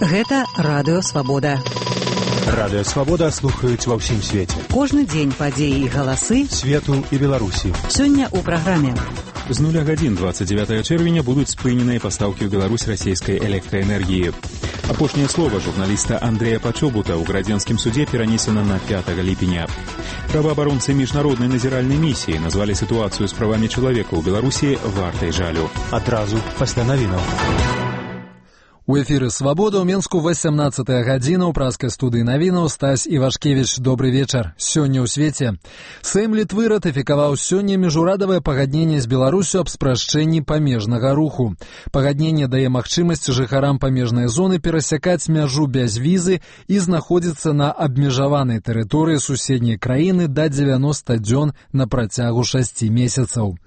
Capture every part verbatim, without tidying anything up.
Гэта Радыё Свабода. Радыё Свабода слухаюць ва ўсім свеце. Кожны дзень падзеі і галасы свету і Беларусі. Сёння ў праграме. З нуля гадзін двадцать девятого чэрвеня будуць спыненыя пастаўкі ў Беларусь расійскай электраэнергіі. Апошняе слова журналіста Андрэя Пачобута ў градзенскім судзе перанесена на пятого ліпеня. Праваабаронцы міжнароднай назіральнай місіі назвалі сітуацыю з правамі чалавека ў Беларусі вартай жалю. Адразу пасля навінаў. У эфіры «Свабода» ў Менску восемнадцатая гадзіна ў праскай студыі навінаў. Стась Івашкевіч, добрый вечар. Сёння ў свеце. Сэйм Літвы ратыфікаваў сёння міжурадавае пагадненне з Беларусю аб спрашчэнні памежнага руху. Пагадненне дае магчымасць жыхарам памежнай зоны перасякаць мяжу без візы і знаходзіцца на абмежаванай тэрыторыі суседняй краіны да дзевяноста дзён на працягу шасці месяцаў.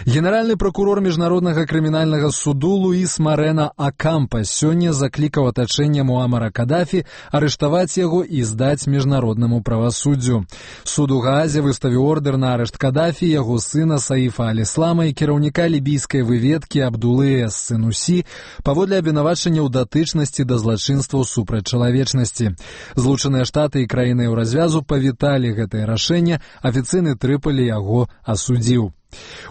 Генеральны пракурор міжнароднага крымінальнага суду Луіс Марена Акампа сёння заклікаў атачэнне Муамара Кадафі арыштаваць яго і здаць міжнароднаму правасуддзю. Суд у Гаазе выставіў ордэр на арышт Кадафі, яго сына Саіфа Аль-Іслама і кіраўніка лібійскай выведкі Абдулы эс-Сынусі паводле абвінавачання ў датычнасці да злачынстваў супраць чалавечнасці. Злучаныя Штаты і краіны Еўразвязу павіталі гэтае рашэнне, афіцыйны Трыполі яго асудзіў.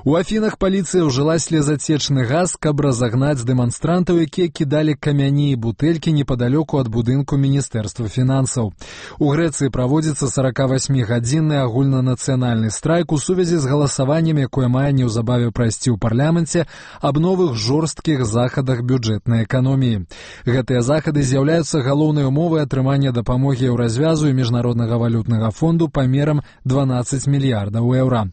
У Афінах паліцыя ўжыла слезацечны газ, каб разагнаць дэманстрантаў, якія кідалі камяні і бутэлькі непадалёку ад будынку Міністэрства фінансаў. У Грэцыі праводзіцца сорокавасьмігадзінны агульнанацыянальны страйк у сувязі з галасаваннем, якое мае неўзабаве прайсці ў парламенце аб новых жорсткіх захадах бюджэтнай эканоміі. Гэтыя захады з'яўляюцца галоўнай умовай атрымання дапамогі Еўразвязу і Міжнароднага валютнага фонду памерам дванаццаць мільярдаў еўра.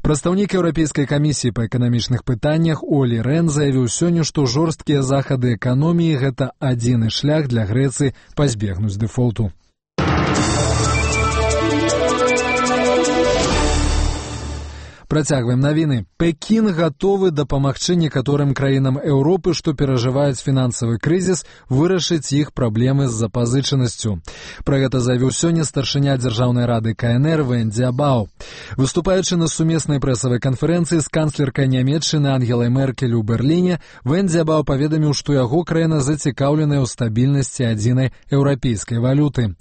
Прадстаўнік Еўрапейскай камісіі па эканамічных пытаннях Олі Рен заявіў сёння, што жорсткія захады эканоміі – гэта адзіны шлях для Грэцыі пазбегнуць дэфолту. Працягваем навіны. Пекін гатовы дапамагчы некаторым краінам Еўропы, што перажываюць фінансавы крызіс, вырашыць іх праблемы з запазычанасцю. Пра гэта заявіў сёння старшыня Дзяржаўнай рады ка эн эр Вен Дзябау. Выступаючы на сумеснай прэсавай канферэнцыі з канцлеркай Нямецчыны Ангелай Меркель у Берліне, Вен Дзябау паведаміў, што яго краіна зацікаўленая ў стабільнасці адзінай еўрапейскай валюты.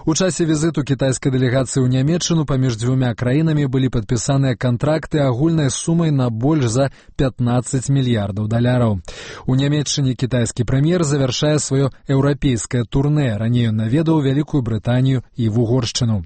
У часе візіту кітайскай дэлегацыі ў Нямецчыну паміж дзвюма краінамі былі падпісаныя кантракты агульнай сумай на больш за пятнаццаць мільярдаў даляраў. У Нямецчыне кітайскі прэм'ер завяршае сваё еўрапейскае турнэ. Раней ён наведаў Вялікую Брытанію і Вугоршчыну.